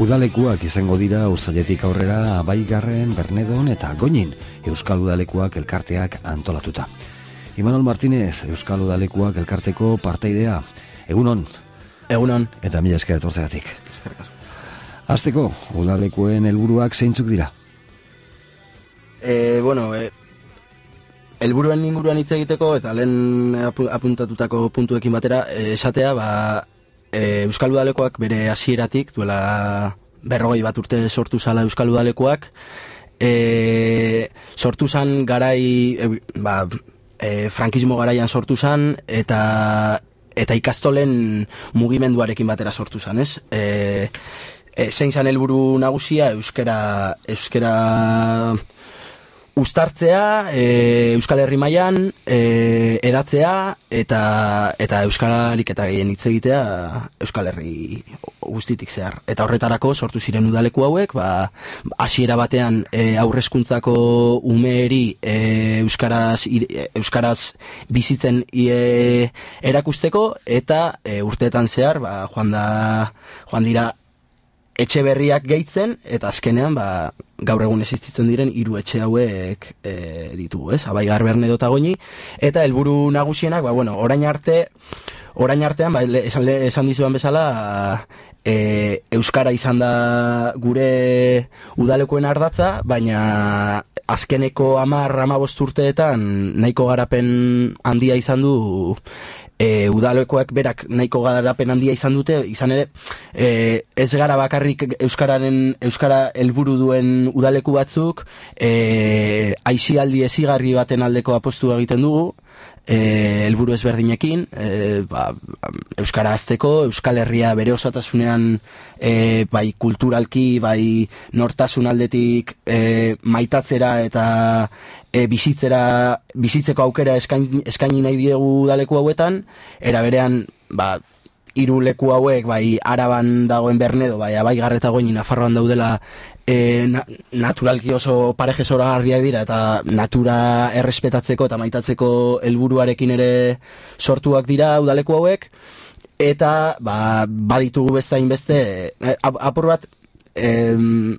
Udalekuak izango dira uztailetik aurrera Abaigarren, Bernedon eta Goñin Euskal Udalekuak elkarteak antolatuta. Imanol Martínez, Euskal Udalekuak elkarteko parteidea. Egunon. Egunon. Eta mila esker etortzegatik. Hasteko, udalekuen helburuak zeintzuk dira? Helburuen inguruan hitz egiteko eta lehen apuntatutako puntuekin batera esatea, Euskal Udalekoak bere hasieratik duela 40 bat urte sortu zala Euskal Udalekoak, sortu zan garai, frankismo garaian sortu zan eta ikastolen mugimenduarekin batera sortu zan, ez? Zein zan helburu nagusia euskara uztartzea, Euskal Herri mailan edatzea eta euskararik eta gehien hitz egitea Euskal Herri guztitik zehar. Eta horretarako sortu ziren udaleku hauek, hasiera batean haurreskuntzako umeeri euskaraz bizitzen erakusteko eta urteetan zehar joan dira etxe berriak gehitzen, eta azkenean gaur egun existitzen diren 3 etxe hauek ditugu, ez? Abaigar, Bernedo eta Goñi, eta helburu nagusienak, orain artean, esan dizudan bezala, euskara izan da gure udalekoen ardatza, baina azkeneko 10-15 urteetan nahiko garapen handia izan du. Udalekoak berak nahiko garapen handia izan dute, izan ere ez gara bakarrik euskara helburu duen udaleku batzuk, aisialdi ezigarri baten aldeko apostua egiten dugu, helburu ezberdinekin, euskara hazteko, Euskal Herria bere osatasunean bai kulturalki, bai nortasun aldetik maitatzera eta bizitzeko aukera eskaini nahi diegu udaleku hauetan, era berean 3 leku hauek, bai Araban dagoen Bernedo, bai Abaigar eta Goñi Nafarroan daudela, naturalki oso pareje zoragarriak dira eta natura errespetatzeko eta maitatzeko helburuarekin ere sortuak dira udaleku hauek, eta baditugu beste apur bat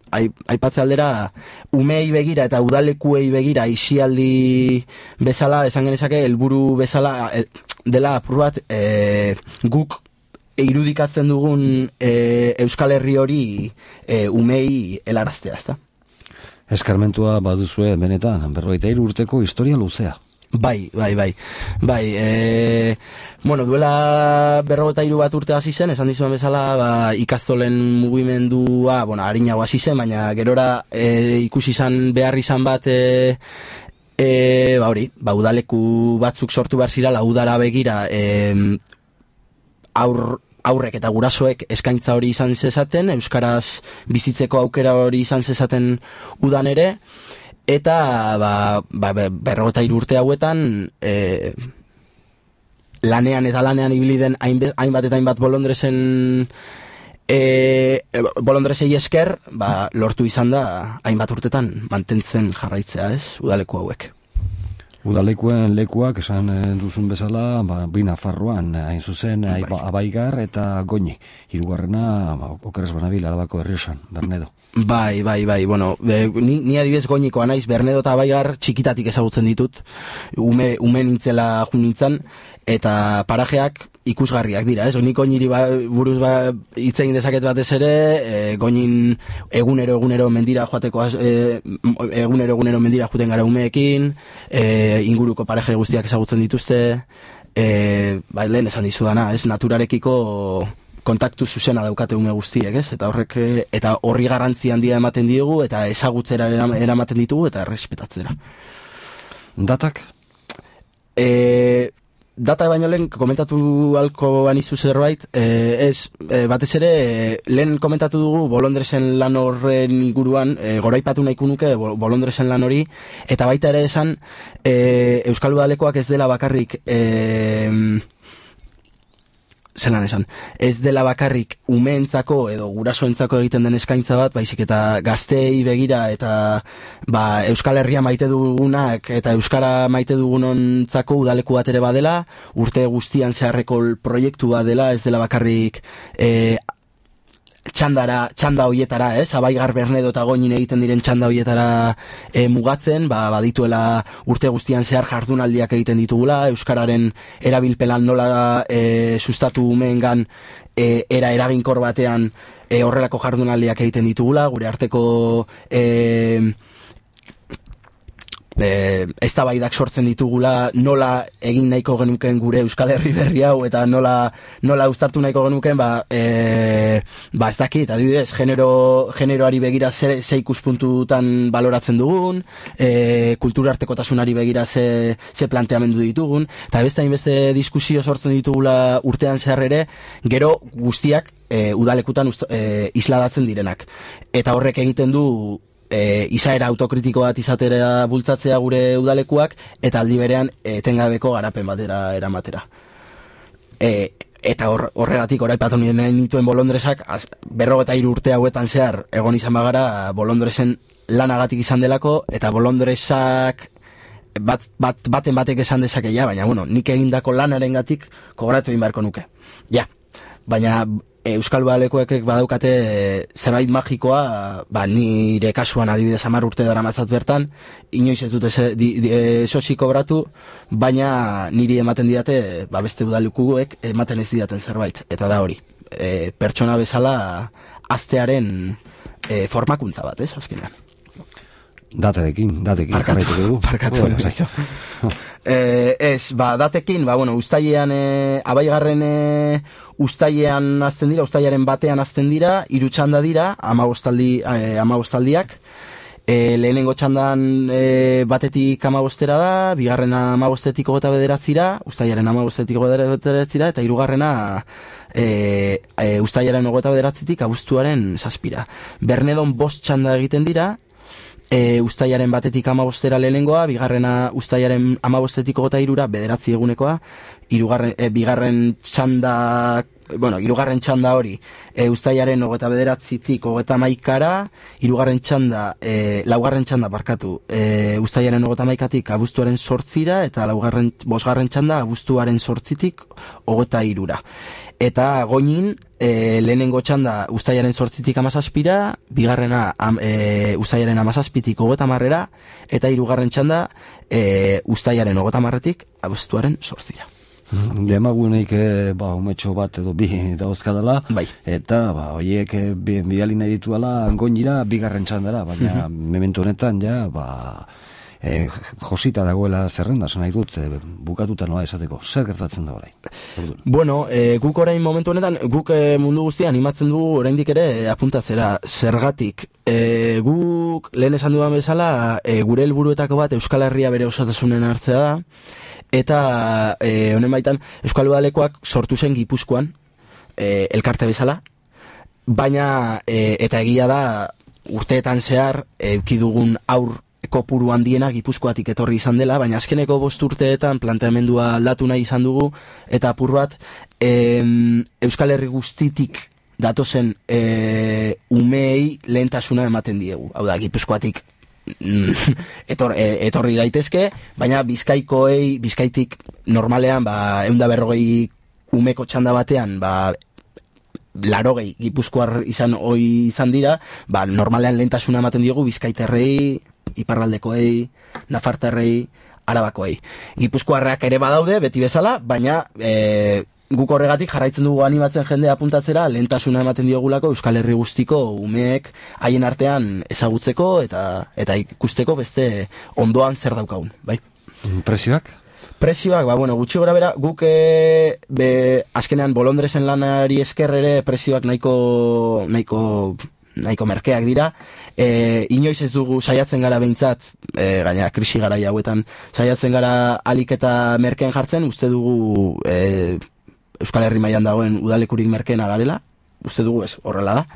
aipatze aldera umei begira eta udalekuei begira aisialdi bezala esan genezake, helburu bezala dela apur bat guk irudikatzen dugun Euskal Herri hori umei helaraztea, ezta? Eskarmentua baduzue benetan, 43 urteko historia luzea. Bai. Duela 43 bat urte hasi zen, esan dizuen bezala, ikastolen mugimendua, arinago hasi zen, baina gerora ikusi izan behar izan bat, udaleku batzuk sortu behar zirala udara begira, aurrek eta gurasoek eskaintza hori izan zezaten, euskaraz bizitzeko aukera hori izan zezaten udan ere, eta 43 urte hauetan lanean ibili den hainbat bolondresei esker, lortu izan da hainbat urtetan mantentzen jarraitzea, ez, udaleku hauek. Udalekuen lekuak esan duzun bezala, bi Nafarroan hain zuzen Abaigar eta Goñi. Hirugarrena okeres banabil Arabako Errioxan, Bernedo. Bai, ni adibidez Goñikoa naiz, Bernedo eta Abaigar txikitatik ezagutzen ditut, ume nintzela nintzen, eta parajeak ikusgarriak dira, ez? Nik Goñiri buruz hitz egin dezaket batez ere, Goñin egunero mendira joateko, egunero mendira joaten gara umeekin, inguruko paraje guztiak ezagutzen dituzte, lehen esan dizudana, ez? Naturarekiko kontaktu zuzena daukate ume guztiek, ez? Eta horri garrantzi handia ematen diogu, eta ezagutzera eramaten ditugu, eta errespetatzera. Datak? Data baino lehen komentatu alko banizu zerbait, batez ere lehen komentatu dugu bolondresen lan horren inguruan, goraipatu nahiko nuke bolondresen lan hori, eta baita ere esan Euskal Udalekoak ez dela bakarrik ez dela bakarrik umeentzako edo gurasoentzako egiten den eskaintza bat, baizik eta gazteei begira eta Euskal Herria maite dugunak eta euskara maite dugunontzako udaleku bat ere badela, urte guztian zeharreko proiektu bat dela, ez dela bakarrik txanda hoietara, Abaigar, Bernedo eta Goñin egiten diren txanda hoietara mugatzen, badituela urte guztian zehar jardunaldiak egiten ditugula, euskararen erabilpelan nola sustatu umeengan era eraginkor batean horrelako jardunaldiak egiten ditugula, gure arteko eztabaidak sortzen ditugula, nola egin nahiko genuken gure Euskal Herri berri hau eta nola uztartu nahiko genuken, ez dakit, adibidez, generoari begira ze ikuspuntutan baloratzen dugun, kulturartekotasunari begira ze planteamendu ditugun, eta beste diskusio sortzen ditugula urtean zehar ere, gero guztiak udalekutan isladatzen direnak. Eta horrek egiten du izaera autokritiko bat izatera bultzatzea gure udalekuak, eta aldi berean etengabeko garapen batera eramatera. Eta horregatik oraipatu nituen Bolondresak 53 urte hauetan zehar egon izan bagara Bolondresen lanagatik izan delako, eta Bolondresak baten batek esan dezake, baina nik egindako lanarengatik kobratu egin beharko nuke. Baina Euskal Udalekuek badaukate zerbait magikoa, nire kasuan adibidez 10 urte daramatzat bertan, inoiz ez dute sosi kobratu, baina niri ematen didate, beste udalekuek ematen ez didaten zerbait, eta da hori. Pertsona bezala aztearen formakuntza bat, azkenean. Datekin Parkatu. Datekin, uztailean, Abaigarren uztailean azten dira, uztailaren batean azten dira, 3 txanda dira, 15 lehenengo txandan batetik 15 da, bigarrena 15-etik 29-ra, uztailaren 15-etik 29-ra, eta hirugarrena uztailaren 29-etik abuztuaren 7-ra. Bernedon 5 txanda egiten dira, uztailaren batetik 15-era lehenengoa, bigarrena uztailaren 15-etik 23-ra, 9 egunekoa, bigarren txanda, hirugarren txanda hori, uztailaren 29-etik 31-ra, hirugarren txanda, laugarren txanda barkatu, uztailaren 31-tik abuztuaren 8-ra, eta bosgarren txanda abuztuaren 8-tik 23-ra. Eta Goñin, lehenengo txanda uztailaren 8-tik 17-ra, bigarrena uztailaren 17-tik 30-ra, eta hirugarren txanda uztailaren 30-tik abuztuaren 8-ra. Demaguneik umetxo bat edo bi dauzkadala, eta horiek bidali nahi dituala Goñira bigarren txandara, baina memento honetan josita dagoela zerrenda, nahi dut, bukatuta noa esateko. Zer gertatzen da orain? Guk orain momentu honetan, guk mundu guztia animatzen dugu oraindik ere apuntatzera zergatik. Guk lehen esan dudan bezala, gure helburuetako bat Euskal Herria bere osotasunen hartzea da, eta honen baitan Euskal Udalekuak sortu zen Gipuzkoan, elkarte bezala, baina eta egia da urteetan zehar eukidugun aur kopuru handiena Gipuzkoatik etorri izan dela, baina azkeneko 5 urteetan planteamendua aldatu nahi izan dugu, eta apur bat Euskal Herri guztitik datozen umeei lehentasuna ematen diegu. Hau da, Gipuzkoatik etorri daitezke, baina Bizkaitik normalean 140 umeko txanda batean 80 Gipuzkoar izan dira, normalean lehentasuna ematen diegu Bizkaiterrei, iparraldekoei, nafartarrei, arabakoei. Gipuzkoarrak ere badaude, beti bezala, baina guk horregatik jarraitzen dugu animatzen jendea apuntatzera, lehentasuna ematen diogulako Euskal Herri guztiko umeek haien artean ezagutzeko eta ikusteko beste ondoan zer daukagun, bai? Prezioak? Prezioak, gutxi gora bera, guk azkenean Bolondresen lanari esker ere prezioak nahiko merkeak dira. Inoiz ez dugu saiatzen gara behintzat, gaina krisi garai hauetan, saiatzen gara alik eta merkeen jartzen, uste dugu Euskal Herri mailan dagoen udalekurik merkeena garela, uste dugu ez, horrela da.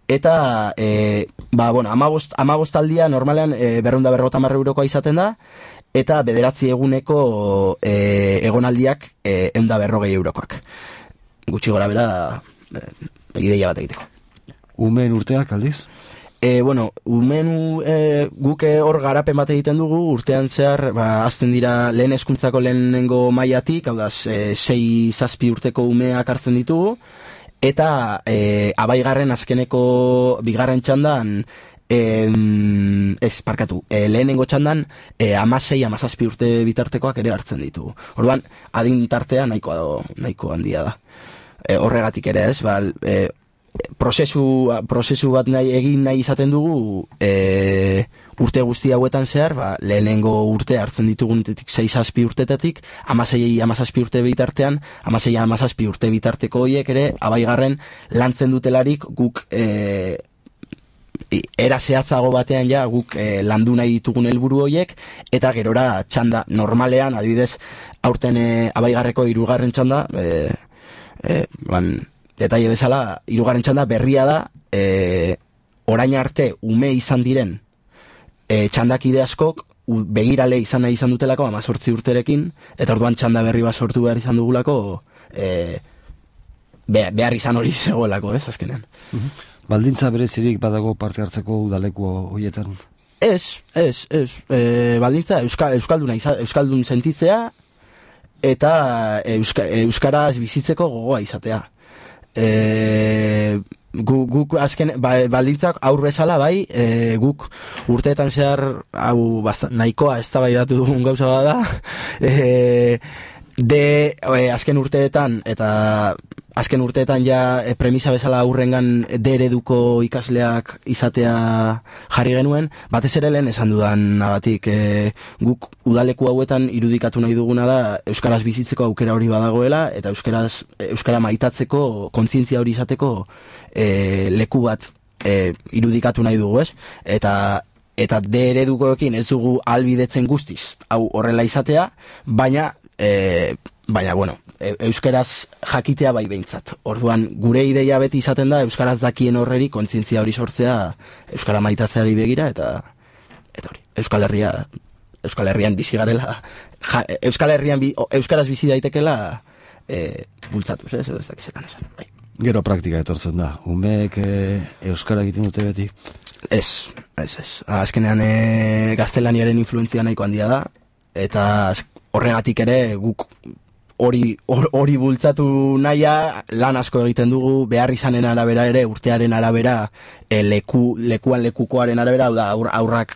Eta, 15 aldia normalean 250 eurokoa izaten da, eta 9 eguneko egonaldiak 140 eurokoak. Gutxi gora bera, ideia bat egiteko. Umeen urteak aldiz? Guk hor garapen bat egiten dugu, urtean zehar, azten dira lehen hezkuntzako lehenengo mailatik, hau da, 6-7 urteko umeak hartzen ditugu, eta abaigarren azkeneko bigarren txandan lehenengo txandan 16-17 urte bitartekoak ere hartzen ditugu. Orduan, adin tartea nahiko handia da. Horregatik ere ez, prozesu bat egin nahi izaten dugu urte guzti hauetan zehar, lehenengo urte hartzen ditugunetik 6-7 urtetatik, 16-17 urte bitartean, 16-17 urte bitarteko horiek ere, abaigarren lantzen dutelarik guk era zehatzago batean ja guk landu nahi ditugun helburu horiek, eta gerora txanda normalean, adibidez, aurten abaigarreko 3. txanda, detaile bezala, 3. txanda berria da, orain arte ume izan diren txandakide askok begirale izan nahi izan dutelako 18 urterekin, eta orduan txanda berri bat sortu behar izan dugulako behar izan hori zegoelako, azkenean. Baldintza berezirik badago parte hartzeko udaleku horietan? Ez. Baldintza euskaldun sentitzea eta euskaraz bizitzeko gogoa izatea. Guk azken baldintzak aur bezala guk urteetan zehar hau nahikoa eztabaidatu dugun gauza bada azken urteetan ja premisa bezala aurrengan ereduko ikasleak izatea jarri genuen, batez ere lehen esan dudan batik, guk udaleku hauetan irudikatu nahi duguna da euskaraz bizitzeko aukera hori badagoela, eta euskara maitatzeko, kontzientzia hori izateko leku bat irudikatu nahi dugu, ez? Eta eredukoekin ez dugu albidetzen guztiz hau horrela izatea, baina bueno, euskaraz jakitea bai behintzat. Orduan, gure ideia beti izaten da euskaraz dakien horreri kontzientzia hori sortzea euskara maitatzeari begira, eta hori, Euskal Herrian bizi garela, Euskal Herrian euskaraz bizi daitekela bultzatuz, edo ez dakizetan esan. Bai. Gero praktika etortzen da. Umeek euskara egiten dute beti? Ez. Azkenean gaztelaniaren influentzia nahiko handia da, eta horregatik ere guk hori bultzatu nahia, lan asko egiten dugu, behar izanen arabera ere, urtearen arabera, lekuan lekukoaren arabera, aurrak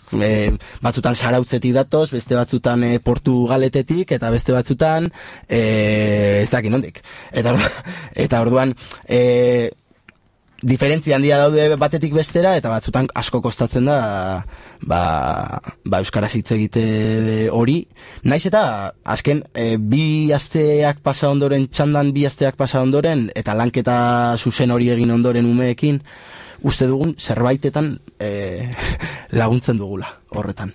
batzutan Zarautzetik datoz, beste batzutan Portugaletetik, eta beste batzutan ez dakin nondik. Eta orduan diferentzia handia daude batetik bestera, eta batzutan asko kostatzen da euskaraz hitz egite hori. Naiz eta azken bi asteak pasa ondoren, txandan bi asteak pasa ondoren, eta lanketa zuzen hori egin ondoren umeekin, uste dugun zerbaitetan laguntzen dugula horretan.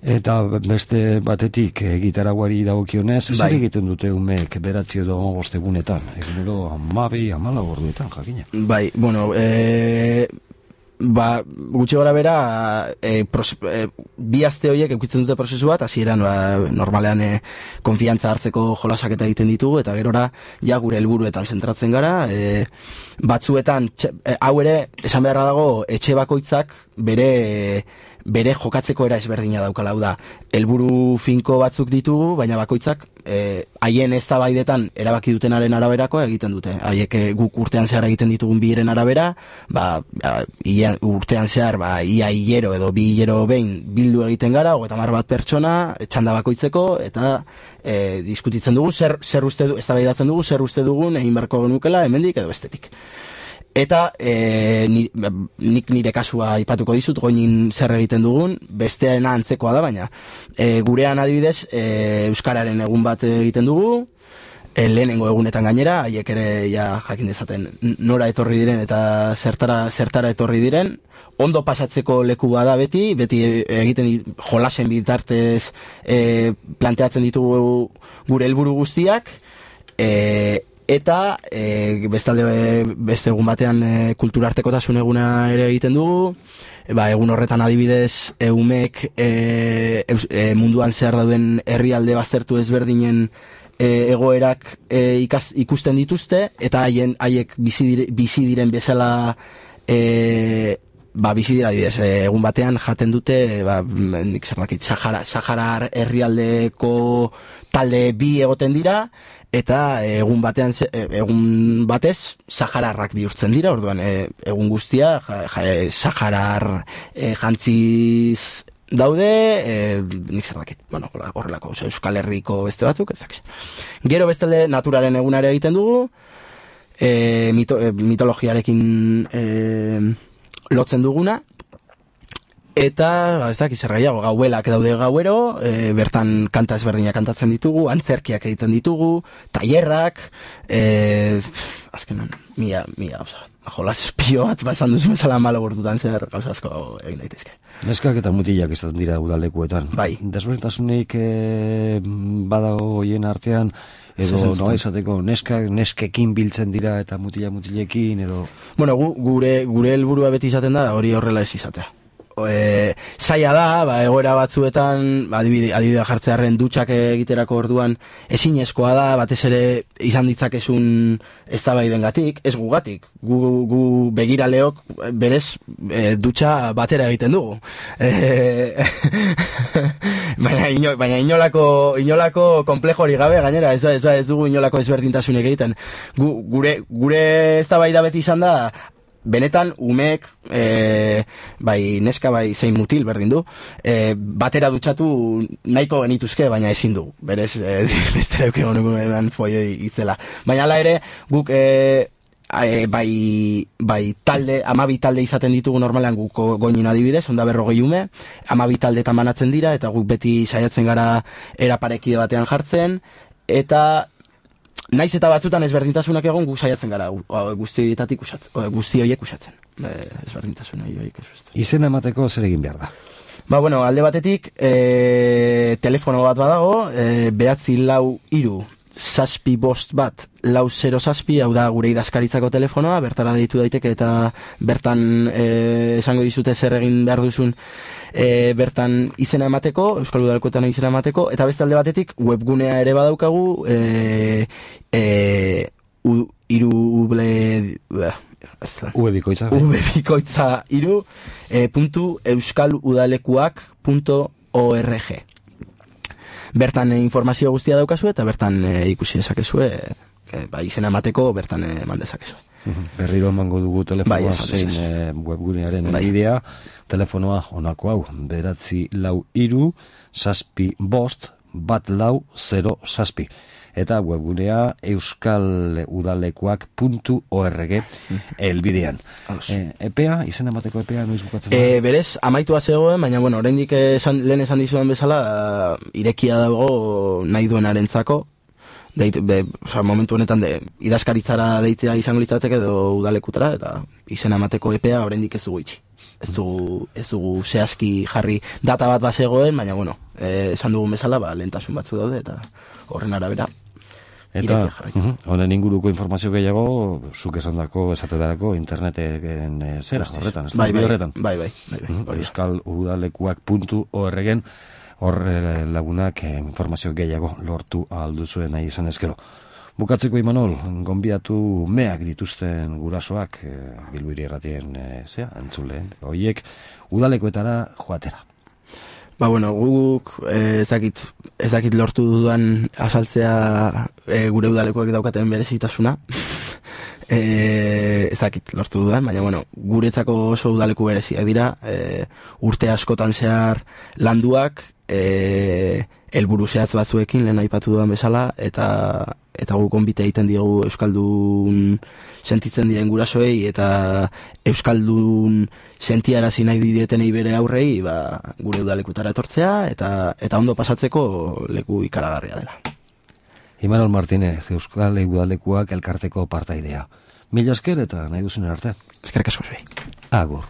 Eta beste batetik gitaraguari dagokionez, zer egiten dute umeek 9 edo 5 egunetan? Egunero 12-14 orduetan, jakina. Bai, bueno, gutxi gora bera, bi aste horiek eukitzen dute prozesu bat, hasieran normalean konfiantza hartzeko jolasak eta egiten ditugu, eta gerora ja gure helburuetan zentratzen gara, batzuetan, hau ere, esan beharra dago, etxe bakoitzak bere jokatzeko era ezberdina daukala, hau da, helburu finko batzuk ditugu, baina bakoitzak haien eztabaidetan erabaki dutenaren araberakoa egiten dute. Haiek guk urtean zehar egiten ditugun biren arabera, urtean zehar ia hilero edo 2 hilero behin bildu egiten gara, 30 pertsona, txanda bakoitzeko, eta diskutitzen dugu, eztabaidatzen dugu, zer uste dugun egin beharko genukela, hemendik edo bestetik. Eta nik nire kasua aipatuko dizut, goinin zer egiten dugun, besteena antzekoa da, baina gurean adibidez euskararen egun bat egiten dugu, lehenengo egunetan gainera, haiek ere jakin dezaten nora etorri diren eta zertara etorri diren, ondo pasatzeko leku bada beti egiten jolasen bitartez planteatzen ditugu gure helburu guztiak, eta beste egun batean kulturartekotasun eguna ere egiten dugu, egun horretan adibidez umeek munduan zehar dauden herrialde baztertu ezberdinen egoerak ikusten dituzte, eta haiek bizi diren bezala bizi dira adibidez, egun batean jaten dute nik zer dakit, Sahara herrialdeko talde 2 egoten dira, eta egun batez sahararrak bihurtzen dira, orduan egun guztia saharar jantziz daude, nik zer dakit, bueno, horrelako, Euskal Herriko beste batzuk, ezak. Gero bestalde naturaren egunare egiten dugu, mitologiarekin lotzen duguna, eta, ez dakit zer gehiago, gauelak daude gauero, bertan kanta ezberdinak kantatzen ditugu, antzerkiak egiten ditugu, tailerrak, azkenan, mila, oza, jolas espio bat esan duzu bezala malo bortutan zer gauza asko egin daitezke. Neskak eta mutilak izaten dira udalekuetan. Bai. Desberdintasunik badago hoien artean, edo noa izateko neskekin biltzen dira eta mutilekin, edo... Bueno, gure helburua beti izaten da, hori horrela ez izatea. Zaila da, egoera batzuetan adibidea jartzearen dutxak egiterako orduan ezinezkoa da, batez ere izan ditzakezun eztabaidengatik, ez gugatik, gu begiraleok berez dutxa batera egiten dugu. Baina inolako komplejori gabe, gainera, ez dugu inolako ezberdintasunik egiten. Gure eztabaida beti izan da, benetan umeek bai neska bai zein mutil berdin du batera dutxatu nahiko genituzke, baina ezin dugu berez bestera eukego nukumean foioi itzela, baina ala ere guk bai talde, 12 talde izaten ditugu normalan guk goinin adibidez, onda 40 ume, 12 talde tamanatzen dira, eta guk beti saiatzen gara eraparekide batean jartzen, eta naiz eta batzutan ezberdintasunak egon gu saiatzen gara guzti horiek usatzen. Ezberdintasun horiek usatzen. Izena emateko zer egin behar da? Bueno, alde batetik telefono bat badago, 943 751 407, hau da gure idazkaritzako telefonoa, bertara deitu daiteke eta bertan esango dizute zer egin behar duzun bertan izena emateko, Euskal Udalekuetan izena emateko, eta beste alde batetik webgunea ere badaukagu, webikoitza.euskaludalekuak.org. Bertan informazio guztia daukazu eta bertan ikusi dezakezue, izena emateko bertan eman dezakezue. Berriro emango dugu telefonoa zein webgunearen bidea, telefonoa honako hau, 943 751 407, eta webgunea euskaludalekuak.org elbidean. Epea, izena emateko epea noiz bukatzen da? Berez, amaitua zegoen, baina bueno, oraindik lehen esan dizuen bezala, irekia dago nahi duenarentzako. Momentu honetan idazkaritzara deitzea izango litzateke edo udalekutara, eta izena emateko epea oraindik ez dugu itxi. Ez dugu zehazki jarri data bat bazegoen, baina bueno, esan dugun bezala, lehentasun batzu daude, eta horren arabera. Eta honen inguruko informazio gehiago, zuk esandako esatetarako interneten zera horretan, ez da? Bai. euskaludalekuak.org hor lagunak informazio gehiago lortu alduzuen nahi izan ezkero. Bukatzeko, Imanol, gonbidatu meak dituzten gurasoak Bilbiri Erratien entzuleen, horiek udalekuetara joatera. Guk ez dakit lortu dudan azaltzea gure udalekuak daukaten berezitasuna. Ez dakit lortu dudan, baina guretzako oso udaleku bereziak dira, urte askotan zehar landuak, helburu zehatz batzuekin lehen aipatu dudan bezala, eta guk gonbite egiten diogu euskaldun sentitzen diren gurasoei eta euskaldun sentiarazi nahi dietenei bere aurrei gure udalekutara etortzea eta ondo pasatzeko leku ikaragarria dela. Imanol Martínez, Euskal Udalekuak elkarteko partaidea. Mila esker eta nahi duzunen arte. Eskerrik asko zuei. Agur.